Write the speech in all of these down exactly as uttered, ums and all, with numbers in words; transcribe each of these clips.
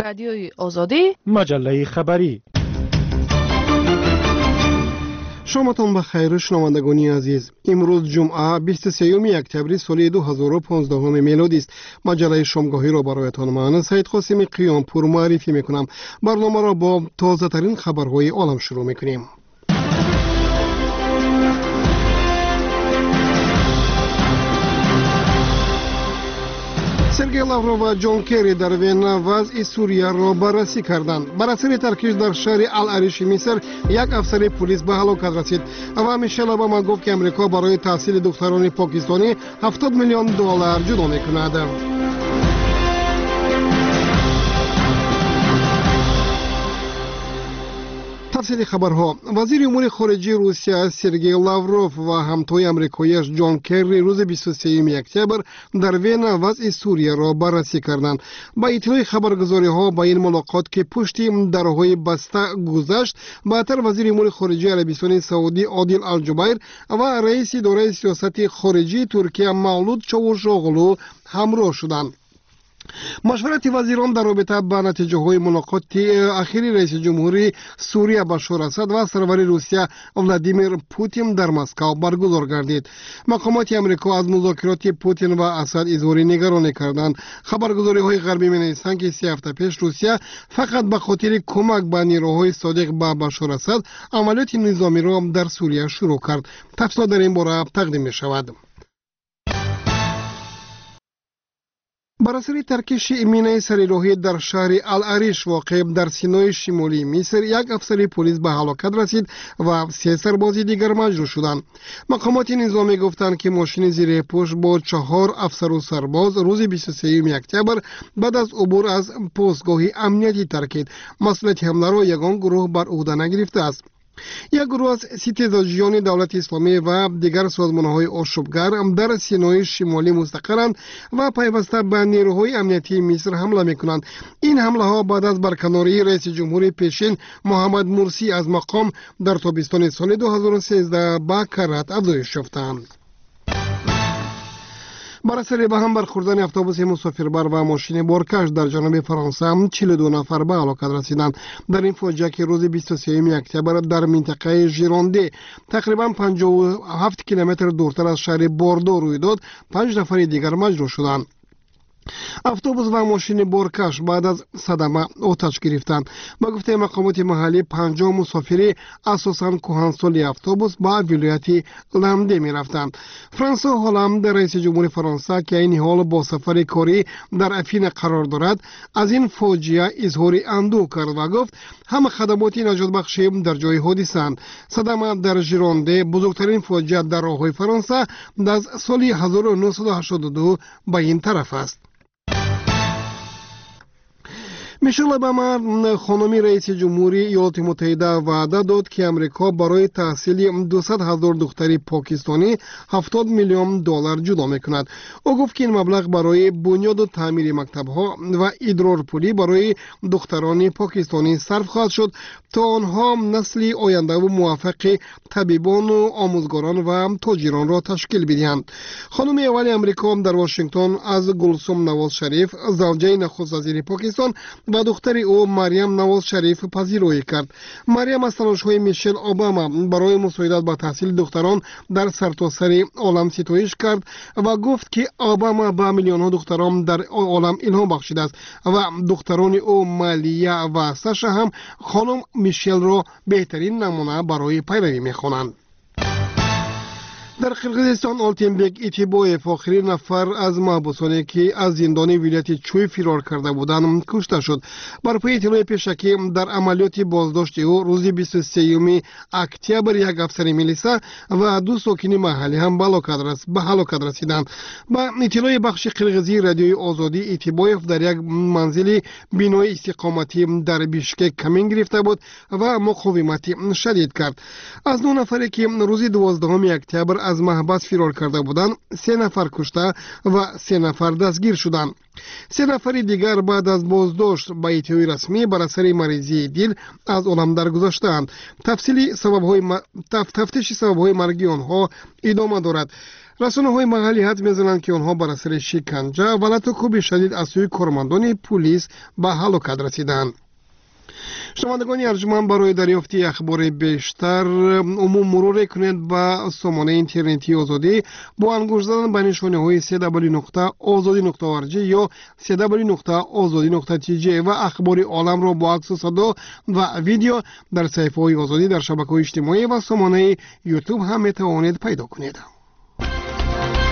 Радиои Озодӣ, маҷаллаи хабарӣ. Шоматон ба хайр, шунавандагони азиз. Имрӯз ҷумъа, бисту сеюми октябри соли ду ҳазору понздаҳуми мелодист. Маҷаллаи шомгоҳиро бароятон ман Саид Қосими Қиёмпур муаррифӣ мекунам. Барномаро бо тозатарин хабарҳои олам шурӯъ мекунем. Сергей Лавров ва Ҷон Керри дар Вена вазъи Сурияро баррасӣ карданд. Бар асари таркиш дар шаҳри Ал-Ариши Миср як афсари пулис ба ҳалокат расид ва Мишел Обама гуфт, ки Амрико барои таҳсили духтарони покистонӣ ҳафтод миллион доллар ҷудо мекунад. Тафсили хабарҳо. Вазири умури хориҷии Русия Сергей Лавров ва ҳамтои амрикоияш Ҷон Керри рӯзи бисту сеюми октябр дар Вена вазъи Сурияро баррасӣ карданд. Ба иттилои хабаргузориҳо, ба ин мулоқот, ки пушти дарҳои баста гузашт, баъдтар вазири умури хориҷии Арабистони Саудӣ Одил Алҷубайр ва раиси идораи сиёсати хориҷии Туркия Мавлуд Чавушоғлу ҳамроҳ шуданд. Машварати вазирон дар робита ба натиҷаҳои мулоқоти ахири раиси ҷумҳурии Сурия Башор Асад ва сарвари Русия Владимир Путин дар Москав баргузор гардид. Мақомоти Амрико аз музокироти Путин ва Асад изҳори нигаронӣ карданд. Хабаргузориҳои ғарбӣ менависанд, ки се ҳафта пеш Русия фақат ба хотири кӯмак ба нерӯҳои содиқ ба Башор Асад амалиёти низомиро дар Сурия шурӯъ кард. Тафсилот дар ин бора тақдим мешавад. Бар асари таркиши минаи сарироҳӣ дар шаҳри Ал-Ариш воқеъ дар Синои шимолии Миср як афсари пулис ба ҳалокат расид ва се сарбози дигар маҷрӯҳ шуданд. Мақомоти низомӣ гуфтанд, ки мошини зиреҳпӯш бо чаҳор афсару сарбоз рӯзи бисту сеюми октябр баъд аз убур аз постгоҳи амниятӣ таркид. Масъулияти ҳамларо ягон гурӯҳ бар ӯҳда нагирифтааст. Як гурӯҳ аз ситезаҷиёни давлати исломӣ ва дигар созмонҳои ошӯбгар дар Синои шимолӣ мустақаранд ва пайваста ба нерӯҳои амниятии Миср ҳамла мекунанд. Ин ҳамлаҳо баъд аз барканории раиси ҷумҳури пешин Муҳаммад Мурсӣ аз мақом дар тобистони соли ду ҳазору сездаҳ ба каррат афзоиш ёфтанд. Бар асари ба ҳам бархӯрдани автобуси мусофирбар ва мошини боркаш дар ҷануби Фаронса чилу ду нафар ба ҳалокат расиданд. Дар ин фоҷиа, ки рӯзи бисту сеюми октябр дар минтақаи Жиронде тақрибан панҷоҳу ҳафт километр дуртар аз шаҳри Бордо рӯй дод, панҷ нафари дигар маҷрӯҳ шуданд. Автобус ва мошини боркаш баъд аз садама оташ гирифтанд. Ба гуфтаи мақомоти маҳаллӣ, панҷоҳ мусофири асосан кӯҳансоли автобус ба вилояти Ламде мерафтанд. Франсо Ҳоланд, раиси ҷумҳури Фаронса, ки айни ҳол бо сафари корӣ дар Афина қарор дорад, аз ин фоҷиа изҳори андӯҳ кард ва гуфт, ҳама хадамоти наҷотбахшӣ дар ҷои ҳодисаанд. Садама дар Жиронде бузургтарин фоҷиа дар роҳҳои Фаронса аз соли ҳазору нӯҳсаду ҳаштоду ду ба ин тараф аст. Мишел Обама, хонуми раиси ҷумҳури Иёлоти Муттаҳида, ваъда дод, ки Амрико барои таҳсили дусад ҳазор духтари покистонӣ ҳафтод миллион доллар ҷудо мекунад. Ӯ гуфт, ки ин маблағ барои бунёду таъмири мактабҳо ва идрорпулӣ барои духтарони покистонӣ сарф хоҳад шуд, то онҳо насли ояндаву муваффақи табибону омӯзгорон ва тоҷиронро ташкил бидиҳанд. Хонуми аввали Амрико дар Вашингтон аз Гулсум Навоз Шариф, завҷаи нахуствазири Покистон, ва духтари ӯ Марьям Навоз Шариф пазироӣ кард. Марьям аз талошҳои Мишел Обама барои мусоидат ба таҳсили духтарон дар сартосари олам ситоиш кард ва гуфт, ки Обама ба миллионҳо духтарон дар олам илҳом бахшидааст ва духтарони ӯ Малия ва Саша ҳам хонум Мишелро беҳтарин намуна барои пайравӣ мехонанд. Дар Қирғизистон Олтинбек Итибоев, охирин нафар аз маҳбусоне, ки аз зиндони вилояти Чӯй фирор карда буданд, кушта шуд. Бар паи иттилои пешакӣ, дар амалиёти боздошти ӯ рӯзи бисту сеюми октябр як афсари милиса ва ду сокини маҳаллӣ ҳам ба ҳалокат расиданд. Ба иттилои бахши қирғизии радиои Озодӣ, Итибоев дар як манзили бинои истиқоматӣ дар Бишкек камин гирифта буд ва муқовимати шадид кард. Аз нӯ нафаре, ки рӯзи дувоздаҳуми октябр аз маҳбас фирор карда буданд, се нафар кушта ва се нафар дастгир шуданд. Се нафари дигар баъд аз боздошт ба иттилои расмӣ бар асари маризии дил аз олам даргузаштаанд. Тафтиши сабабҳои марги онҳо идома дорад. Расонаҳои маҳаллӣ ҳад мезананд, ки онҳо бар асари шиканҷа ва латукӯби шадид аз сӯи кормандони пулис ба ҳалокат расиданд. Шунавандагони арҷманд, барои дарёфти ахбори бештар умум муруре кунед ба сомонаи интернетии Озодӣ бо ангушт задан ба нишонаҳои се дабл нуқта озодӣ нуқта орг ё се дабл нуқта озодӣ нуқта тж ва ахбори оламро бо аксу садо ва видео дар саҳифаҳои Озодӣ дар шабакаҳои иҷтимоӣ ва сомонаи Ютуб ҳам метавонед пайдо кунед.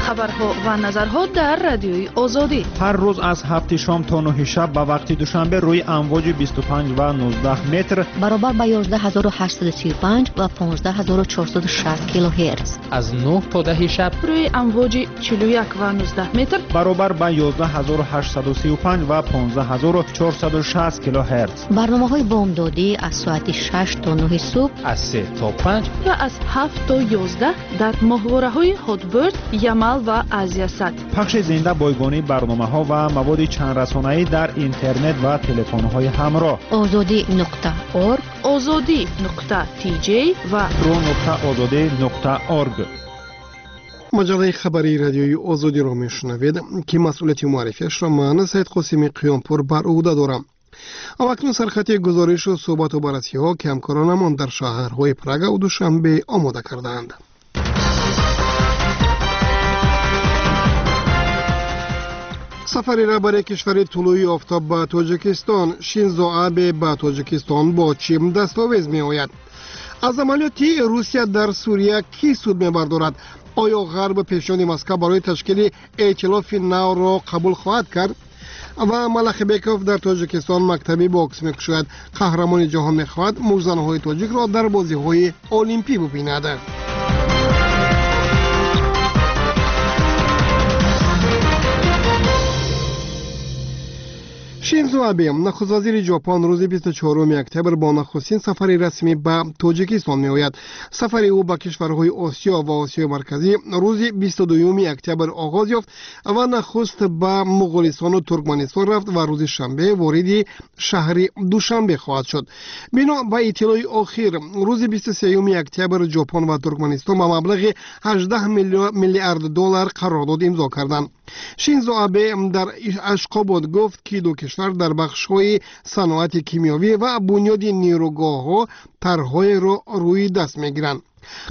Хабарҳо ва назарҳо дар радиои Озодӣ ҳар рӯз аз ҳафти шом то нӯҳи шаб ба вақти душанбе рӯи амвоҷи бисту панҷ ва нуздаҳ метр баробар ба ёздаҳ ҳазору ҳаштсаду сию панҷ ва понздаҳ ҳазору чорсаду шаст килогерц, аз нӯҳ то даҳи шаб рӯи амвоҷи чилу як ва нуздаҳ метр баробар ба ёздаҳ ҳазору ҳаштсаду сию панҷ ва понздаҳ ҳазору чорсаду шаст килогерц. Барномаҳои бомдодӣ аз соати шаш то нӯҳи субҳ, аз се то панҷ ва аз ҳафт то ёздаҳ дар моҳвораҳои Ҳотберд, Ямал ва Азиясат. Пахши зинда бойгонии барномаҳо ва маводи чандрасонаӣ дар интернет ва телефонҳои ҳамроҳ. Озодӣ нуқта орг, Озодӣ нуқта тж ва ру нуқта озодӣ нуқта орг. Маҷаллаи хабарии радиои Озодиро мешунавед, ки масъулияти муаррифиашро ман Саид Қосими Қиёмпур бар ӯҳда дорам. Акнун сархати гузоришу суҳбату баррасиҳо, ки ҳамкоронамон дар шаҳрҳои Прага ва Душанбе омода кардаанд. Сафари раҳбари кишвари тулӯи офтоб ба Тоҷикистон, Шинзо Абе ба Тоҷикистон бо чӣ дастовез меояд? Аз амалиёти Русия дар Сурия кӣ суд мебардорад? Оё ғарб пешниҳоди Москва барои ташкили эътилофи навро қабул хоҳад кард? Ва Малахибеков дар Тоҷикистон мактаби бокс мекушояд. Қаҳрамони ҷаҳон мехоҳад муштзанҳои тоҷикро дар бозиҳои олимпӣ бубинад. Шинзо Абе, нахуствазири Ҷопон, рӯзи бисту чоруми октябр бо нахустин сафари расмӣ ба Тоҷикистон меояд. Сафари ӯ ба кишварҳои Осиё ва Осиёи Марказӣ рӯзи бисту дуюми октябр оғоз ёфт ва нахуст ба Муғулистону Туркманистон рафт ва рӯзи шанбе вориди шаҳри Душанбе хоҳад шуд. Бино ба иттилои охир, рӯзи бисту сеюми октябр Ҷопон ва Туркманистон ба маблағи ҳаждаҳ миллиард доллар қарордод имзо карданд. Шинзо Абе дар Ашқобод гуфт, ки ду кишвар дар бахшҳои саноати кимиёвӣ ва бунёди нерӯгоҳҳо тарҳҳоеро рӯи даст мегиранд.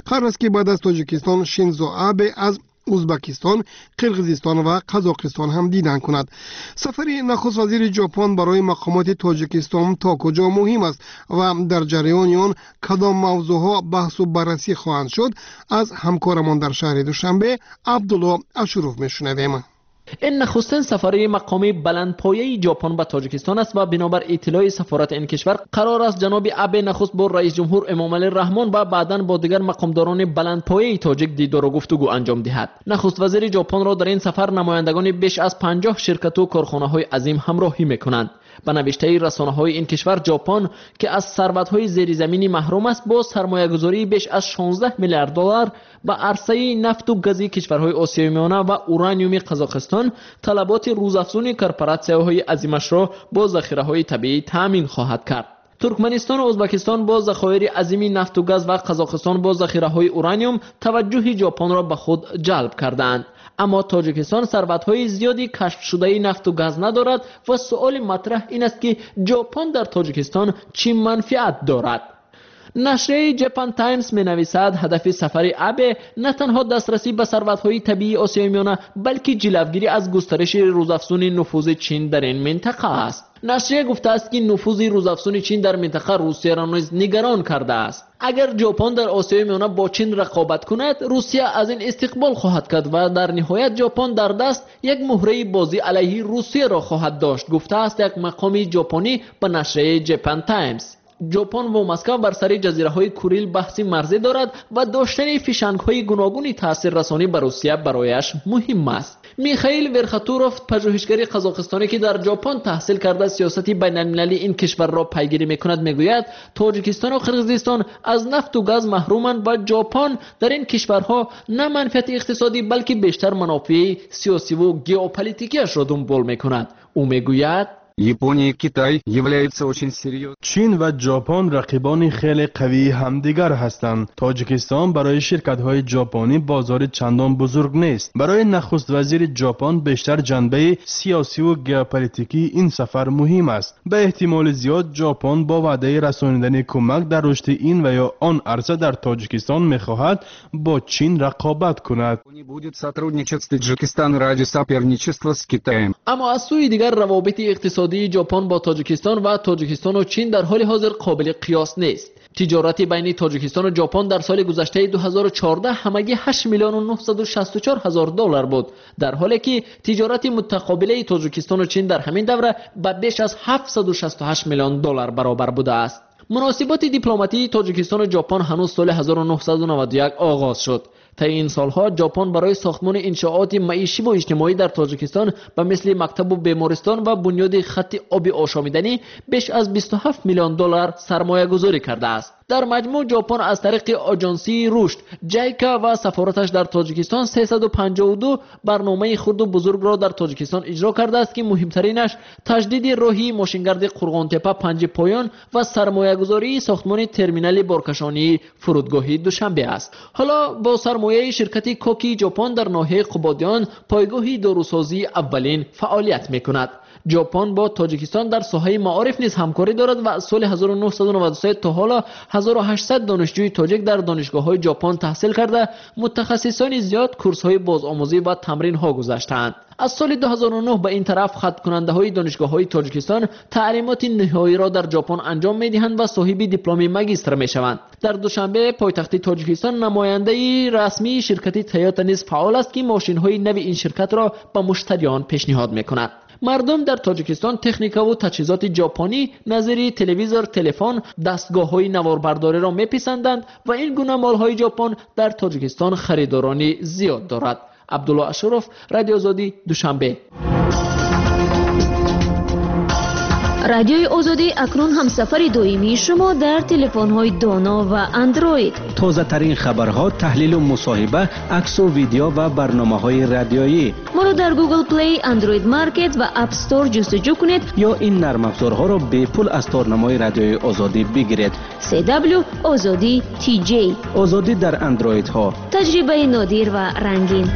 Қарор аст, ки баъд аз Тоҷикистон Шинзо Абе аз Узбекистон, Қирғизистон ва Қазоқистон ҳам дидан кунад. Сафари нахуствазири Ҷопон барои мақомоти Тоҷикистон то куҷо муҳим аст ва дар ҷараёни он кадом мавзӯъҳо баҳсу баррасӣ хоҳанд шуд, аз ҳамкорамон дар шаҳри Душанбе Абдулло Ашуров мешунавем. Ин нахустин сафари мақоми баландпояи Ҷопон ба Тоҷикистон аст ва бинобар иттилои сафорати ин кишвар қарор аст ҷаноби Абе нахуст бо раис ҷумҳур Эмомалӣ Раҳмон ва баъдан бо дигар мақомдорони баландпояи тоҷик дидору гуфтугӯ анҷом диҳад. Нахуствазири Ҷопонро дар ин сафар намояндагони беш аз панҷоҳ ширкату корхонаҳои азим ҳамроҳӣ мекунанд. Ба навиштаи расонаҳои ин кишвар, Ҷопон, ки аз сарватҳои зеризаминӣ маҳрум аст, бо сармоягузории беш аз шонздаҳ миллиард доллар ба арсаи нафту гази кишварҳои Осиёи Миёна ва ураниуми Қазоқистон талаботи рӯзафзуни корпоратсияҳои азимашро бо захираҳои табиӣ таъмин хоҳад кард. Туркманистон ва Узбекистон бо захоири азими нафту газ ва Қазоқистон бо захираҳои ураниум таваҷҷӯҳи Ҷопонро ба худ ҷалб кардаанд. Аммо Тоҷикистон сарватҳои зиёди кашфшудаи нафту газ надорад ва суоли матраҳ ин аст, ки Ҷопон дар Тоҷикистон чӣ манфиат дорад? Нашрияи Japan Times менависад, ҳадафи сафари Абе на танҳо дастрасӣ ба сарватҳои табиии Осиёи Миёна, балки ҷилавгирӣ аз густариши рӯзафзуни нуфузи Чин дар ин минтақа аст. Нашрия гуфтааст, ки нуфузи рӯзафзуни Чин дар минтақа Русияро низ нигарон кардааст. Агар Ҷопон дар Осиёи Миёна бо Чин рақобат кунад, Русия аз ин истиқбол хоҳад кард ва дар ниҳоят Ҷопон дар даст як муҳраи бозӣ алайҳи Русияро хоҳад дошт, гуфтааст як мақоми ҷопонӣ ба нашрияи Japan Times. Ҷопон ва Москва бар сари ҷазираҳои Курил баҳси марзӣ дорад ва доштани фишангҳои гуногуни таъсиррасонӣ ба Русия барояш муҳим аст. Михаил Верхотуров, пажӯҳишгари қазоқистонӣ, ки дар Ҷопон таҳсил карда сиёсати байналмилалии ин кишварро пайгирӣ мекунад, мегӯяд Тоҷикистону Қирғизистон аз нафту газ маҳруманд ва Ҷопон дар ин кишварҳо на манфиати иқтисодӣ, балки бештар манофеи сиёсиву геополитикиашро дунбол мекунад. Ӯ мегӯяд: Япония и Китай являются очень серьезными. Чин ва Ҷопон рақибони хеле қавии ҳамдигар ҳастанд. Тоҷикистон барои ширкатҳои ҷопонӣ бозори чандон бузург нест. Барои нахуствазири Ҷопон бештар ҷанбаи сиёсиву геополитикии ин сафар муҳим аст. Ба эҳтимоли зиёд Ҷопон бо ваъдаи расонидани кӯмак дар рушди ин ва ё он арса дар Тоҷикистон мехоҳад бо Чин рақобат кунад. Будет сотрудничать с Таджикистаном ради соперничества с Китаем. Аммо аз сӯи дигар равобити иқтисодии Ҷопон бо Тоҷикистон ва Тоҷикистону Чин дар ҳоли ҳозир қобили қиёс нест. Тиҷорати байни Тоҷикистону Ҷопон дар соли гузаштаи ду ҳазору чордаҳ ҳамагӣ ҳашт миллиону нуҳсаду шасту чор ҳазор доллар буд, дар ҳоле ки тиҷорати мутақобилаи Тоҷикистону Чин дар ҳамин давра ба беш аз ҳафтсаду шасту ҳашт миллион доллар баробар будааст. Муносиботи дипломатии Тоҷикистону Ҷопон ҳанӯз соли ҳазору нуҳсаду наваду як оғоз шуд. Таи ин солҳо Ҷопон барои сохтмони иншооти маишиву иҷтимоӣ дар Тоҷикистон ба мисли мактабу бемористон ва бунёди хатти оби ошомиданӣ беш аз бисту ҳафт миллион доллар сармоягузорӣ кардааст. Дар маҷмӯъ Ҷопон аз тариқи оҷонсии рушд, ҷайка ва сафораташ дар Тоҷикистон сесаду панҷоҳу ду барномаи хурду бузургро дар Тоҷикистон иҷро кардааст, ки муҳимтаринаш таҷдиди роҳи мошингарди Қурғонтепа панҷи поён ва сармоягузории сохтмони терминали боркашонии фурудгоҳи Душанбе аст. Ҳоло бо сармояи ширкати Коки Ҷопон дар ноҳияи Қубодиён пойгоҳи дорусозии аввалин фаъолият мекунад. Ҷопон бо Тоҷикистон дар соҳаи маориф низ ҳамкорӣ дорад ва аз соли ҳазору нуҳсаду наваду се то ҳоло ҳазору ҳаштсад донишҷӯи тоҷик дар донишгоҳҳои Ҷопон таҳсил карда, мутахассисони зиёд курсҳои бозомӯзӣ ва тамринҳо гузаштаанд. Аз соли ду ҳазору нуҳ ба ин тараф хаткунандаҳои донишгоҳҳои Тоҷикистон таълимоти ниҳоиро дар Ҷопон анҷом медиҳанд ва соҳиби дипломи магистр мешаванд. Дар Душанбе, пойтахти Тоҷикистон, намояндаи расмии ширкати Тойота низ фаъол аст, ки мошинҳои нави ин ширкатро ба муштариён пешниҳод мекунад. Мардум дар Тоҷикистон техникаву таҷҳизоти ҷопонӣ назири телевизор, телефон, дастгоҳҳои наворбардориро меписанданд ва ин гуна молҳои Ҷопон дар Тоҷикистон харидорони зиёд дорад. Абдулло Ашуров, Радио Озодӣ, Душанбе. Радиои Озодӣ акнун ҳамсафари доимии шумо дар телефонҳои доно ва андроид. Тозатарин хабарҳо, таҳлилу мусоҳиба, аксу видео ва барномаҳои радиоӣ. Моро дар Google Play, Android Market ва App Store ҷустуҷӯ кунед ё ин нармафзорҳоро бепул аз торнамои Радиои Озодӣ бигиред. си дабл ю Озодӣ ти ҷей. Озодӣ дар андроидҳо. Таҷрибаи нодир ва рангин.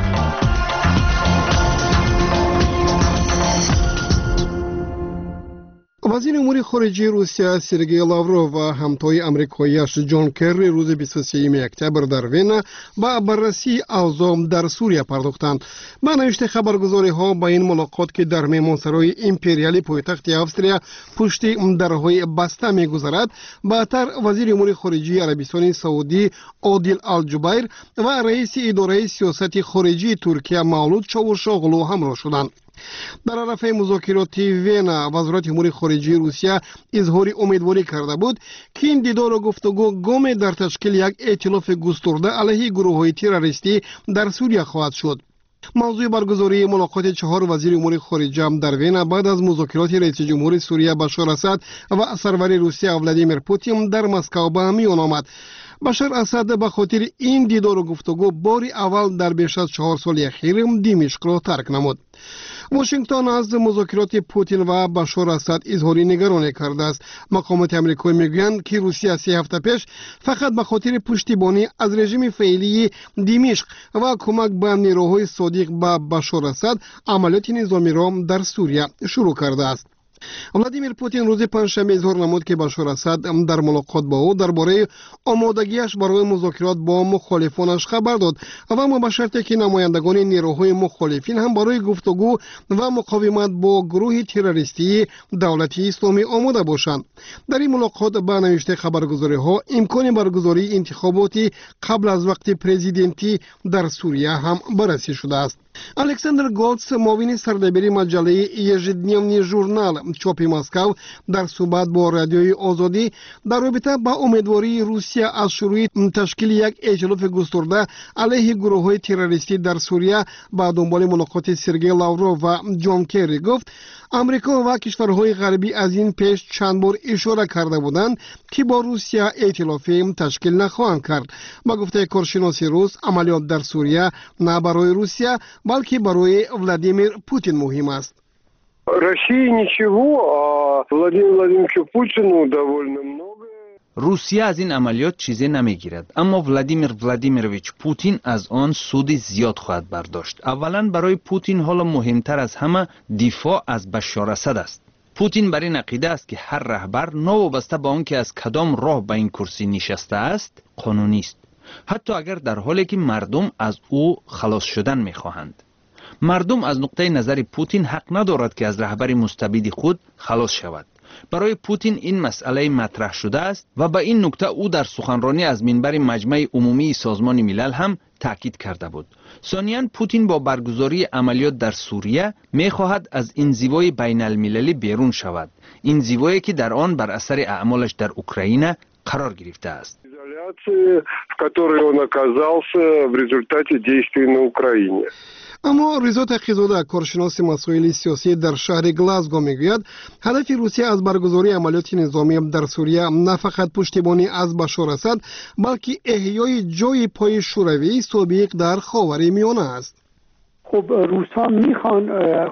Вазири умури хориҷии Русия Сергей Лавров ва ҳамтои амрикоияш Ҷон Керри рӯзи бисту сеюми октябр дар Вена ба баррасии авзоъ дар Сурия пардохтанд. Ба навишти хабаргузориҳо ба ин мулоқот, ки дар меҳмонсарои империали пойтахти Австрия пушти дарҳои баста мегузарад, баъдтар вазири умури хориҷии Арабистони Саудӣ Одил Алҷубайр ва раиси идораи сиёсати хориҷии Туркия Мавлуд Чавушоғлу ҳамроҳ шуданд. Дар арафаи музокироти Вена вазорати умури хориҷии Русия изҳори умедворӣ карда буд, ки ин дидору гуфтугӯ гоме дар ташкили як эътилофи густурда алайҳи гурӯҳҳои террористӣ дар Сурия хоҳад шуд. Мавзӯи баргузории мулоқоти чаҳор вазири умури хориҷа дар Вена баъд аз музокироти раиси ҷумҳури Сурия Башар Асад ва сарвари Русия Владимир Путин дар Москав ба миён омад. Башар Асад ба хотири ин дидору гуфтугӯ бори аввал дар беш аз чаҳор соли ахир Димишқро тарк намуд. Вашингтон аз музокироти Путин ва Башар Асад изҳори нигаронӣ кардааст. Мақомоти амрикоӣ мегӯянд, ки Русия се ҳафта пеш фақат ба хотири пуштибонӣ аз режими феълии Димишқ ва кӯмак ба нерӯҳои содиқ ба Башар Асад амалиёти низомиро дар Сурия шурӯъ кардааст. Владимир Путин рӯзи панҷшанбе изҳор намуд, ки Башар Асад дар мулоқот бо ӯ дар бораи омодагиаш барои музокирот бо мухолифонаш хабар дод ва аммо ба шарте ки намояндагони нерӯҳои мухолифин ҳам барои гуфтугӯ ва муқовимат бо гурӯҳи террористии давлати исломӣ омода бошанд. Дар ин мулоқот ба навиштаи хабаргузориҳо имкони баргузории интихоботи қабл аз вақти президентӣ дар Сурия ҳам баррасӣ шудааст. Александр Голдс, муовини сардабири маҷаллаи Ежедневный журнал чопи Москав, дар суҳбат бо Радиои Озодӣ дар робита ба умедвории Русия аз шурӯи ташкили як эътилофи густурда алайҳи гурӯҳҳои террористӣ дар Сурия ба дунболи мулоқоти Сергей Лавров ва Ҷон Керри гуфт, Амрико ва кишварҳои ғарбӣ аз ин пеш чанд бор ишора карда буданд, ки бо Русия эътилофӣ ташкил нахоҳанд кард. Ба гуфтаи коршиноси рус, амалиёт дар Сурия на барои Русия, балки барои Владимир Путин муҳим аст. России ничего, а Владимиру Владимировичу Путину довольно много. Русия аз ин амалиёт чизе намегирад, аммо Владимир Владимирович Путин аз он суди зиёд хоҳад бардошт. Аввалан, барои Путин ҳоло муҳимтар аз ҳама дифоъ аз Башшор Асад аст. Путин бар ин ақида аст, ки ҳар раҳбар, новобаста ба он ки аз кадом роҳ ба ин курсӣ нишастааст, қонунист, ҳатто агар дар ҳоле ки мардум аз ӯ халос шудан мехоҳанд. Мардум аз нуқтаи назари Путин ҳақ надорад, ки аз раҳбари мустабиди худ халос шавад. Барои Путин ин масъалаи матраҳ шудааст ва ба ин нукта ӯ дар суханронӣ аз минбари Маҷмаи Умумии Созмони Милал ҳам таъкид карда буд. Сониян, Путин бо баргузории амалиёт дар Сурия мехоҳад аз инзивои байналмилалӣ берун шавад, инзивое ки дар он бар асари аъмолаш дар Украина қарор гирифтааст. Изоляции, в которой он оказался в результате действий на Украине. Аммо Ризо Тақизода, коршиноси масоили сиёсӣ дар шаҳри Глазго, мегӯяд, ҳадафи Русия аз баргузории амалиёти низомӣ дар Сурия на фақат пуштибонӣ аз Башор Асад, балки эҳёи ҷои пои Шӯравии собиқ дар Ховари Миёна аст. خب، روس‌ها میخوان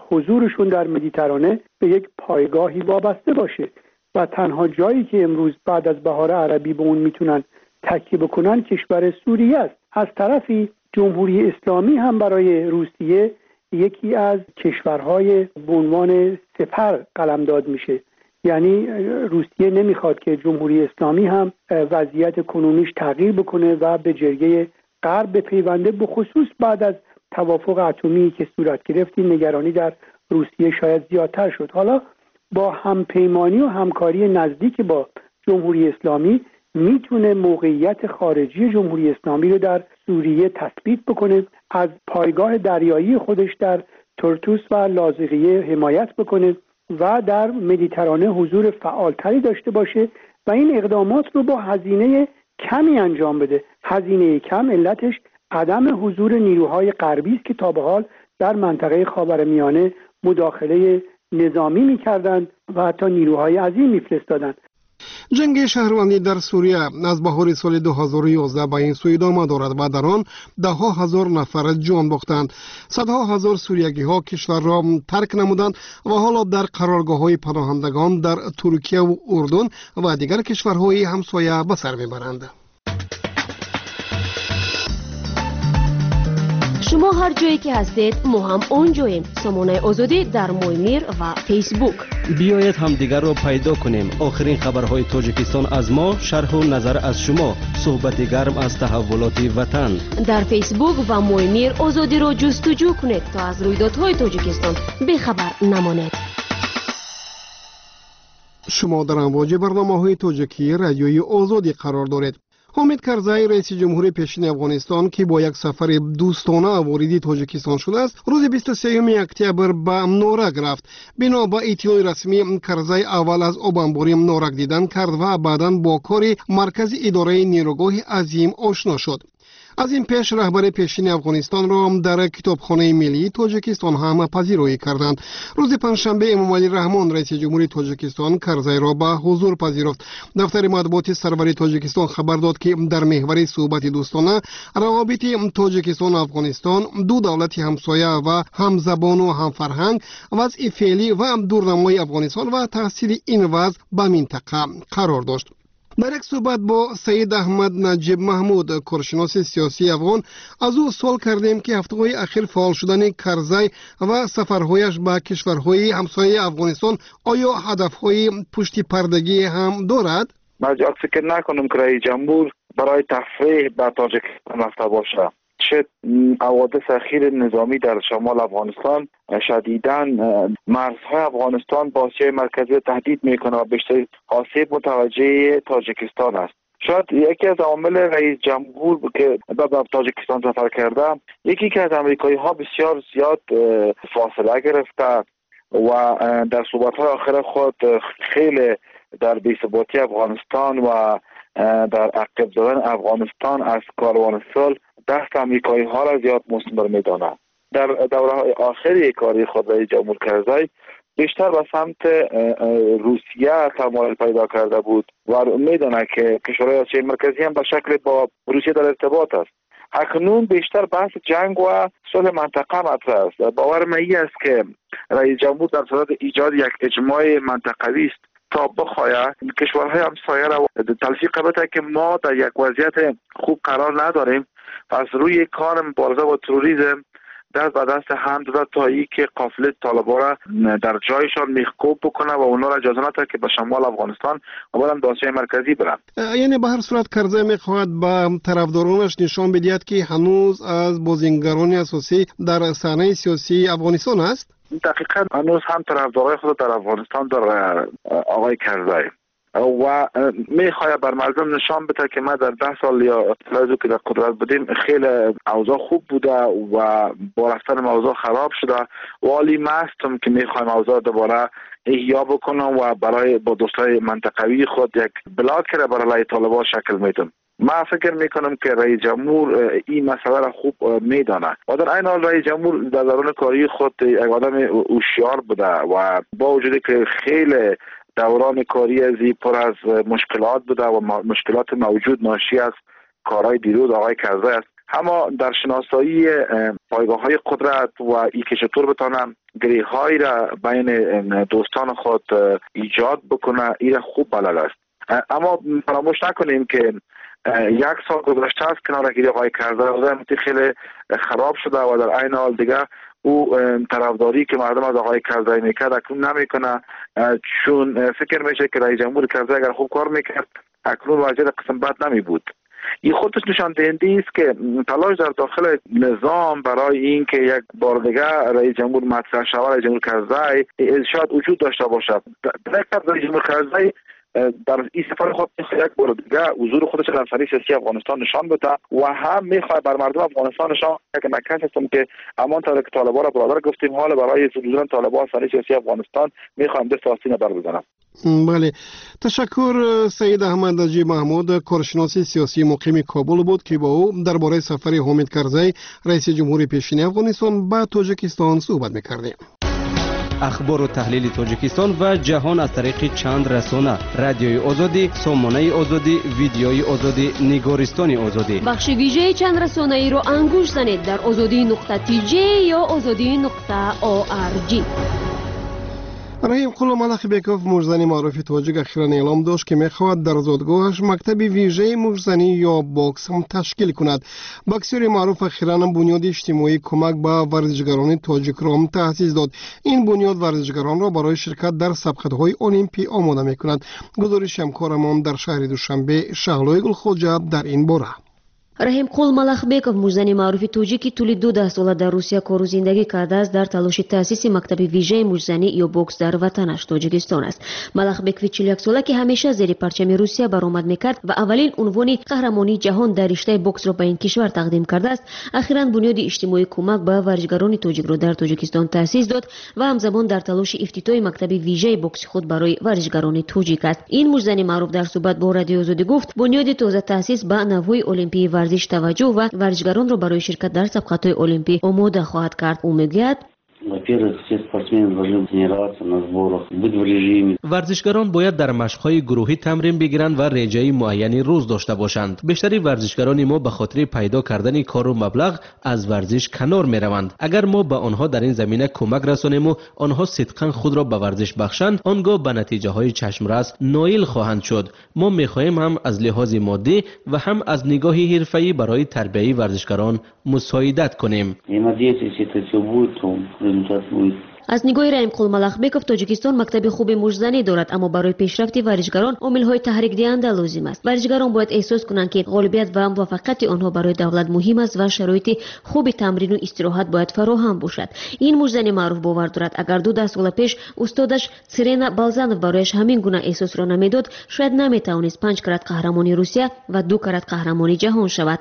حضورشون در مدیترانه به یک پایگاهی وابسته باشه و تنها جایی که امروز بعد از بهار عربی به اون میتونن تکیه بکنن کشور سوریه است. از طرفی جمهوری اسلامی هم برای روسیه یکی از کشورهای به عنوان سپر قلمداد میشه، یعنی روسیه نمیخواد که جمهوری اسلامی هم وضعیت کنونیش تغییر بکنه و به جرگه غرب بپیونده. به خصوص بعد از توافق اتمی که صورت گرفت، این نگرانی در روسیه شاید زیادتر شد. حالا با همپیمانی و همکاری نزدیک با جمهوری اسلامی میتونه موقعیت خارجی جمهوری اسلامی رو در سوریه تثبیت بکنه، از پایگاه دریایی خودش در ترتوس و لاذقیه حمایت بکنه و در مدیترانه حضور فعالتری داشته باشه و این اقدامات رو با هزینه کمی انجام بده. هزینه کم علتش عدم حضور نیروهای غربی است که تا به حال در منطقه خاورمیانه مداخله نظامی میکردند و حتی نیروهای عظیم میفرستادند. Ҷанги шаҳрвандӣ дар Сурия аз баҳори соли ду ҳазору ёздаҳ ба ин сӯ идома дорад ва дар он даҳҳо ҳазор нафар ҷон бохтанд. Садҳо ҳазор суриягиҳо кишварро тарк намуданд ва ҳоло дар қароргоҳҳои паноҳандагон дар Туркияву Урдун ва дигар кишварҳои ҳамсоя ба сар мебаранд. Шумо ҳар ҷое ки ҳастед, мо ҳам он ҷоем. Сомонаи Озодӣ дар Моймир ва Фейсбук. Биёед, ҳамдигарро пайдо кунем. Охирин хабарҳои Тоҷикистон аз мо, шарҳу назар аз шумо, суҳбати гарм аз таҳаввулоти ватан. Дар Фейсбук ва Моймир Озодиро ҷустуҷӯ кунед, то аз рӯйдодҳои Тоҷикистон бехабар намонед. Шумо дар амвоҷи барномаҳои тоҷикии Радиои Озодӣ қарор доред. Ҳомид Карзай, раиси ҷумҳури пешини Афғонистон, ки бо як сафари дӯстона вориди Тоҷикистон шудааст, рӯзи бисту сеюми октябр ба Норак рафт. Бино ба иттилои расмӣ, Карзай аввал аз обанбори Норак дидан кард ва баъдан бо кори маркази идораи нерӯгоҳи Азим ошно шуд. Аз ин пеш раҳбари пешини Афғонистонро дар Китобхонаи миллии Тоҷикистон ҳам пазироӣ карданд. Рӯзи панҷшанбе Эмомалӣ Раҳмон, раиси ҷумҳури Тоҷикистон, Карзайро ба ҳузур пазируфт. Дафтари матбуоти сарвари Тоҷикистон хабар дод, ки дар меҳвари суҳбати дӯстона равобити Тоҷикистону Афғонистон, ду давлати ҳамсоя ва ҳамзабону ҳамфарҳанг, вазъи феълӣ ва дурнамои Афғонистон ва таъсири ин вазъ ба минтақа қарор дошт. Дар як суҳбат бо Саид Аҳмад Наҷиб Маҳмуд, коршиноси сиёсии афғон, аз ӯ суол кардем, ки ҳафтаҳои ахир фаъол шудани Карзай ва сафарҳояш ба кишварҳои ҳамсояи Афғонистон оё ҳадафҳои пуштипардагӣ ҳам дорад? من زیاد فکر نکنم که رئیس جمهور برای تفریح به تاجیکستان رفته باشه. چه حوادث اخیر نظامی در شمال افغانستان شدیداً مرزهای افغانستان با آسیای مرکزی تهدید میکنه و بیشتر آسیب متوجه تاجیکستان است. شاید یکی از عوامل رئیس جمهور که به تاجیکستان سفر کرده، یکی که از امریکایی ها بسیار زیاد فاصله گرفته و در صحبت های آخر خود خیلی در بی‌ثباتی افغانستان و در عقب زدن افغانستان از کاروان صلح دست امریکایی ها را زیاد مثمر میداند. در دوره های آخری کاری خود رئیس جمهور کرزی بیشتر به سمت روسیه تمایل پیدا کرده بود و میداند که کشورهای آسیای مرکزی هم به شکل با روسیه در ارتباط است. اکنون بیشتر بحث جنگ و صلح منطقه مطرح است. باور من این است که رئیس جمهور در صدد ایجاد یک اجماع منطقوی است تا بخواهد کشورهای همسایه را تلفیق بده که ما در یک وضعیت خوب قرار نداریم، پس روی کار مبارزه با تروریسم دست به دست هم داده تا ای که قافله طالبان را در جایشان میخکوب بکنه و اونا را اجازه نده که به شمال افغانستان و بعدم به آسیای مرکزی برند. یعنی به هر صورت کرزی میخواهد به طرفدارانش نشان بدهد که هنوز از بازیگران اساسی در صحنه سیاسی افغانستان است. دقیقا هنوز هم طرفدارای خود در افغانستان در آقای کرزی و میخواد بر مردم نشان بده که ما در ده سال یا سال که در قدرت بودیم خیلی اوضاع خوب بوده و با رفتن اوضاع خراب شده و حالی ما هستم که میخوایم اوضاع دوباره احیا بکنم و برای با دوستای منطقوی خود یک بلاک را برای طالبان شکل میدم. ما فکر میکنم که رئیس جمهور این مسئله را خوب میدانه و در عین حال رئیس جمهور در دوران کاری خود یک آدم هوشیار بوده و با وجودی که خیلی دوران کاری ازی پر از مشکلات بوده و مشکلات موجود ناشی از کارهای دیروز آقای کرزی است، اما در شناسایی پایگاه های قدرت و ای که چطور بتانم گره هایی را بین دوستان خود ایجاد بکنه ای را خوب بلد است. اما فراموش نکنیم که یک سال گذشته از کنارگیری آقای کرزی خیلی خراب شده و در عین حال دیگه او طرفداری که مردم از آقای کرزی میکرد اکنون نمیکنه، چون فکر میشه که رئیس جمهور کرزی اگر خوب کار میکرد اکنون وضعیت قسم بد نمی بود. این خودش نشان دهنده است که تلاش در داخل نظام برای این که یک بار دیگه رئیس جمهور مطرح شود رئیس جمهور کرزی شاید وجود داشته باشد. در رئیس جمهور کرزی در این سفر خود یک بار دیگه حضور خودش در صحنه سیاسی افغانستان نشان بده و هم میخواد بر مردم افغانستان نشان که ما کس هستم که همان طور که طالبان را برادر گفتیم حال برای حضور طالبان صحنه سیاسی افغانستان میخوایم دست آستین بر بزنم. بله، تشکر. سید احمد نجیب محمود کارشناس سیاسی مقیم کابل بود که با او درباره سفر حامد کرزی رئیس جمهور پیشین افغانستان به تاجیکستان صحبت میکردیم. اخبار و تحلیل تاجیکستان و جهان از طریق چند رسانه: رادیوی آزادی، سامانه آزادی، ویدیوی آزادی، نگارستان آزادی. بخش ویژه چند رسانه ای را انگوش زنید در آزادی نقطه تی جی یا آزادی نقطه او آر جی. Раҳимқул Малахбеков, муштзани маъруфи тоҷик, ахиран эълом дошт, ки мехоҳад дар зодгоҳаш мактаби вижаи муштзанӣ ё бокс ташкил кунад. Боксёри маъруф ахиран бунёди иҷтимоии кӯмак ба варзишгарони тоҷикро таъсис дод. Ин бунёд варзишгаронро барои ширкат дар сабқатҳои олимпӣ омода мекунад. Гузориши ҳамкорамон дар шаҳри Душанбе Шаҳлои Гулхоҷа дар ин бора. Раҳимқул Малахбеков, муштзани маъруфи тоҷик, ки тӯли ду даҳсола дар Русия кору зиндагӣ кардааст, дар талоши таъсиси мактаби вижаи муштзанӣ ё бокс дар ватанаш Тоҷикистон аст. Малахбекови чиляксола, ки ҳамеша зери парчами Русия баромад мекард ва аввалин унвони қаҳрамонии ҷаҳон дар риштаи боксро ба ин кишвар тақдим кардааст, ахиран бунёди иҷтимоии кӯмак ба варзишгарони тоҷикро дар Тоҷикистон таъсис дод ва ҳамзамон дар талоши ифтитоҳи мактаби вижаи бокси худ барои варзишгарони тоҷик аст. Ин муштзани маъруф дар суҳбат бо Радиои Озодӣ гуфт, бунёди тоза таъсис ба навъҳои олимпии варзиш таваҷҷӯҳ ва варзишгаронро барои ширкат дар сабқатҳои олимпӣ омода хоҳад кард. Ӯ мегӯяд: Во-первых, все спортсмены должны тренироваться на сборах, быть в режиме. Варзишгарон бояд дар машқҳои гурӯҳӣ тамрин бигиранд ва реҷаи муайяни рӯз дошта бошанд. Бештари варзишгарони мо ба хотири пайдо кардани кору маблағ аз варзиш канор мераванд. Агар мо ба онҳо дар ин замина кӯмак расонему онҳо сидқан худро ба варзиш бахшанд, он гоҳ ба натиҷаҳои чашмрас ноил хоҳанд шуд. Мо мехоҳем ҳам аз лиҳози моддӣ ва ҳам аз нигоҳи ҳирфаӣ барои тарбияи варзишгарон мусоидат кунем. Я надеюсь, если это все будет, то результат будет. Аз нигоҳи Раҳимқул Малахбеков, Тоҷикистон мактаби хуби муштзанӣ дорад, аммо барои пешрафти варзишгарон омилҳои таҳрикдиҳанда лозим аст. Варзишгарон бояд эҳсос кунанд, ки ғолибият ва муваффақияти онҳо барои давлат муҳим аст ва шароити хуби тамрину истироҳат бояд фароҳам бошад. Ин муштзани маъруф бовар дорад, агар ду даҳсола пеш устодаш Сирена Балзанов барояш ҳамин гуна эҳсосро намедод, шояд наметавонист панҷ карат қаҳрамони Русия ва ду карат қаҳрамони ҷаҳон шавад.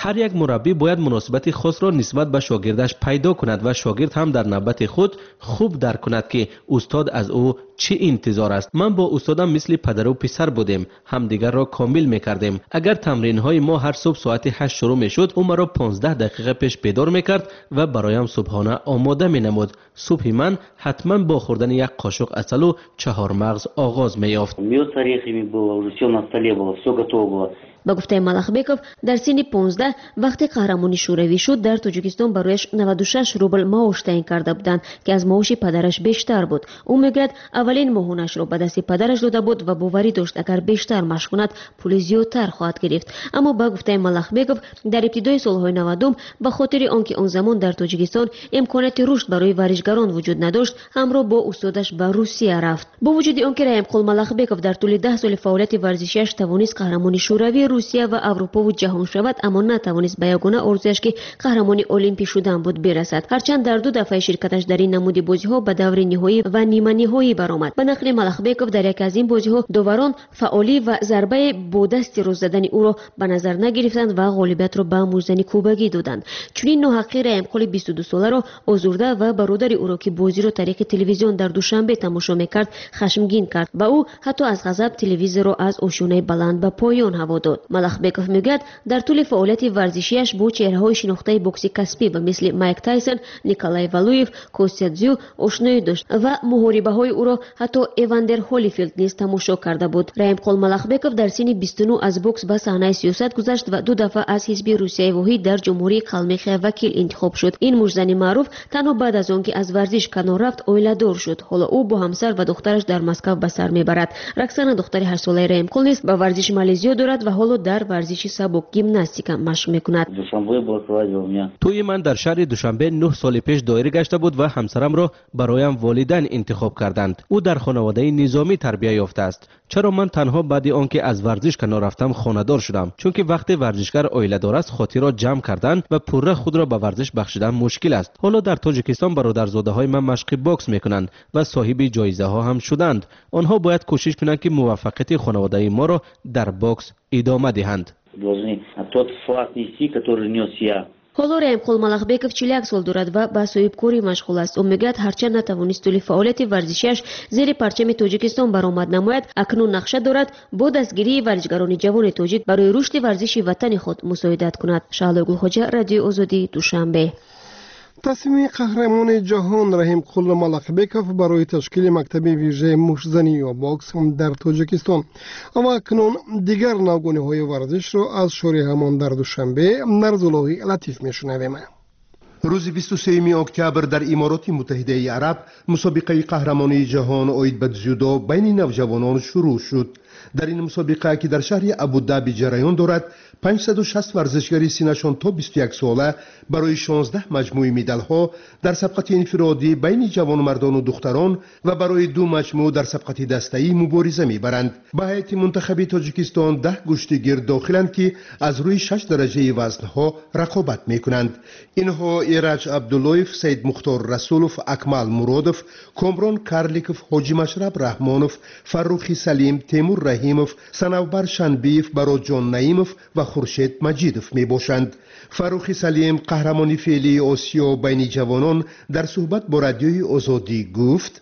Ҳар як мураббӣ бояд муносибати хосро нисбат ба шогирдаш пайдо кунад ва шогирд ҳам дар навбати худ хуб дарк кунад, ки устод аз ӯ чӣ интизор аст. Ман бо устодам мисли падару писар будем, ҳамдигарро комил мекардем. Агар тамринҳои мо ҳар субҳ соати ҳашт шурӯъ мешуд, ӯ маро понздаҳ дақиқа пеш бедор мекард ва бароям субҳона омода менамуд. Субҳи ман ҳатман бо хӯрдани як қошуқ асалу чаҳормағз оғоз меёфт. Мёд с орехами было, уже всё на столе было, всё готово было. Ба гуфтаи Малахбеков, дар синни понздаҳ вақте қаҳрамони шӯравӣ шуд, дар Тоҷикистон барояш наваду шаш рубл маош таъин карда буданд, ки аз маоши падараш бештар буд. Ӯ мегӯяд, аввалин моҳонашро ба дасти падараш дода буд ва боварӣ дошт, агар бештар машқ кунад, пули зиёдтар хоҳад гирифт. Аммо ба гуфтаи Малахбеков, дар ибтидои солҳои навадум ба хотири он ки он замон дар Тоҷикистон имконияти рушд барои варзишгарон вуҷуд надошт, ҳамроҳ бо устодаш ба Русия рафт. Бо вуҷуди он ки Раҳимқул Малахбеков дар тӯли даҳ соли фаъолияти варзишиаш тавонист қаҳрамони Шӯравӣ, Русия ва Аврупову ҷаҳон шавад, аммо натавонист ба ягона орзуяш, ки қаҳрамони олимпӣ шудан буд, бирасад. Ҳарчанд дар ду дафъаи ширкаташ дар ин намуди бозиҳо ба даври ниҳоӣ ва ниманиҳоӣ баромад. Ба нақли Малахбеков, дар яке аз ин бозиҳо доварон фаъолӣ ва зарбаи бо дасти рост задани ӯро ба назар нагирифтанд ва ғолибиятро ба муҷзани кубагӣ доданд. Чунин ноҳаққи Раҳимқули бисту дусоларо озурда ва бародари ӯро, ки бозиро тариқи телевизион дар Душанбе тамошо мекард, хашмгин кард ва ӯ ҳатто аз ғазаб телевизорро аз ошёнаи баланд ба поён ҳаво дод. Малахбеков мегӯяд, дар тӯли фаъолияти варзишиаш бо чеҳраҳои шинохтаи бокси касбӣ ба мисли Майк Тайсон, Николай Валуев, Костя Дзю ошноӣ дошт ва муҳорибаҳои ӯро ҳатто Эвандер Холифилд низ тамошо карда буд. Раҳимқул Малахбеков дар синни бисту нӯҳ аз бокс ба саҳнаи сиёсат гузашт ва ду дафъа аз ҳизби Русияи воҳид дар Ҷумҳурии Қалмихия вакил интихоб шуд. Ин муҷзани маъруф танҳо баъд аз он ки аз варзиш канор рафт, оиладор шуд. Ҳоло ӯ бо ҳамсар ва духтараш дар Москав ба сар мебарад. Роксана, духтари ҳаштсолаи Раҳимқул, низ ба варзиш майли зиёд дорад ва ҳоло дар варзиши сабук гимнастика машқ мекунад. Тӯи ман дар шаҳри Душанбе нӯҳ соли пеш доир гашта буд ва ҳамсарамро бароям волидайн интихоб карданд. Ӯ дар хонаводаи низомӣ тарбия ёфтааст. Чаро ман танҳо баъди он ки аз варзиш канор рафтам хонадор шудам? Чунки вақте варзишгар оиладор аст, хотирро ҷамъ кардан ва пурра худро ба варзиш бахшидан мушкил аст. Ҳоло дар Тоҷикистон бародарзодаҳои ман машқи бокс мекунанд ва соҳиби ҷоизаҳо ҳам шуданд. Онҳо бояд кӯшиш кунанд, ки муваффақияти хонаводаи моро дар бокс идома диҳанд. Ҳоло Раҳимқул Малахбеков чилу як сол дорад ва ба соҳибкорӣ машғул аст. Ӯ мегӯяд, ҳарчанд натавонист тӯли фаъолияти варзишиаш зери парчами Тоҷикистон баромад намояд, акнун нақша дорад бо дастгирии варзишгарони ҷавони тоҷик барои рушди варзиши ватани худ мусоидат кунад. Шаҳло Гулхоҷа, Радиои Озодӣ, Душанбе. Тасмими қаҳрамони ҷаҳон Раҳимқул Малахбеков барои ташкили мактаби вижаи муштзанӣ ё бокс дар Тоҷикистон ва акнун дигар навгониҳои варзишро аз шори ҳамон дар Душанбе Нарзуллоҳи Латиф мешунавем. Рӯзи бисту сеюми октябр дар Имороти Муттаҳидаи Араб мусобиқаи қаҳрамонии ҷаҳон оид ба дзюдо байни навҷавонон шурӯъ шуд. Дар ин мусобиқа, ки дар шаҳри Абудаби ҷараён дорад, панҷсаду шаст варзишгари синнашон то бисту як сола барои шонздаҳ маҷмӯи медалҳо дар сабқати инфиродӣ байни ҷавонмардону духтарон ва барои ду маҷмӯъ дар сабқати дастаӣ мубориза мебаранд. Ба ҳайати мунтахаби Тоҷикистон даҳ гӯштигир дохиланд, ки аз рӯи шаш дараҷаи вазнҳо рақобат мекунанд. Инҳо Эраҷ Абдуллоев, Саидмухтор Расулов, Акмал Муродов, Комрон Карликов, Ҳоҷи Машраб Раҳмонов, Фаррухи Салим, Темур Раҳимов, Санавбар Шанбиев, Бароҷон Наимов ва Хуршед Маҷидов мебошанд. Фаррухи Салим, қаҳрамони феълии Осиё байни ҷавонон, дар суҳбат бо Радиои Озодӣ гуфт: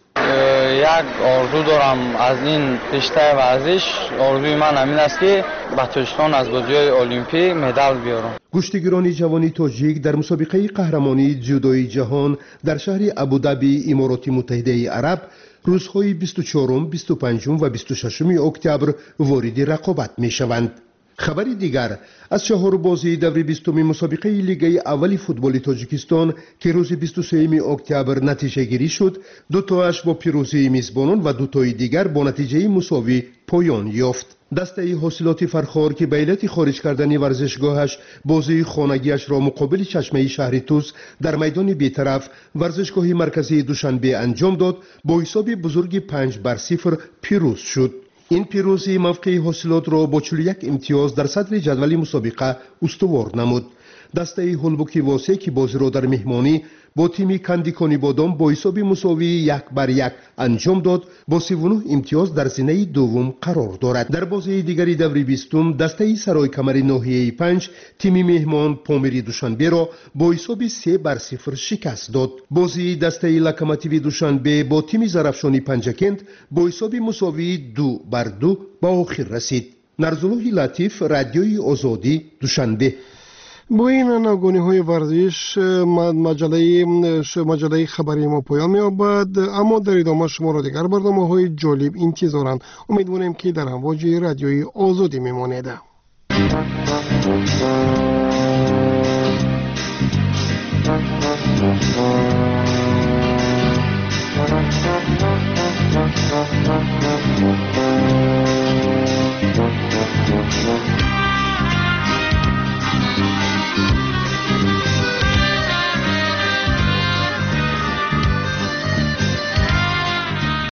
як орзу дорам аз ин риштаи варзиш. Орзуи ман ҳамин аст, ки ба Тоҷикистон аз бозиҳои олимпӣ медал биёрам. Гӯштигирони ҷавони тоҷик дар мусобиқаи қаҳрамонии дзюдои ҷаҳон дар шаҳри Абудаби Имороти Муттаҳидаи Араб рӯзҳои бисту чорум, бисту панҷум ва бисту шашуми октябр вориди рақобат мешаванд. Хабари дигар аз чаҳорбозии даври бистуми мусобиқаи лигаи аввали футболи Тоҷикистон, ки рӯзи бисту сеюми октябр натиҷагирӣ шуд, дутоаш бо пирӯзии мизбонон ва дутои дигар бо натиҷаи мусовӣ поён ёфт. Дастаи ҳосилоти Фархор, ки ба иллати хориҷ кардани варзишгоҳаш бозии хонагиашро муқобили чашмаи шаҳри Тус дар майдони бетараф варзишгоҳи марказии Душанбе анҷом дод, бо ҳисоби бузурги панҷ бар сифр пирӯз шуд. Ин пирӯзӣ мавқеи ҳосилотро бо чилу як имтиёз дар садри ҷадвали мусобиқа устувор намуд. Дастаи Ҳулбуки Восе, ки бозиро дар меҳмонӣ бо тими Кандикони Бодом бо ҳисоби мусовии як бар як анҷом дод, бо сиву нӯҳ имтиёз дар зинаи дуввум қарор дорад. Дар бозии дигари даври бистум дастаи Саройкамари ноҳияи панҷ тими меҳмон Помири Душанберо бо ҳисоби се бар сифр шикаст дод. Бозии дастаи Локомотиви Душанбе бо тими Зарафшони Панҷакент бо ҳисоби мусовии ду бар ду ба охир расид. Нарзуллоҳи Латиф, Радиои Озодӣ, Душанбе. Бо ин навгониҳои варзиш маҷаллаи хабарии мо поён меёбад, аммо дар идома шуморо дигар барномаҳои ҷолиб интизоранд. Умедворем, ки дар ҳамвоҷи Радиои Озодӣ мемонед. Thank you.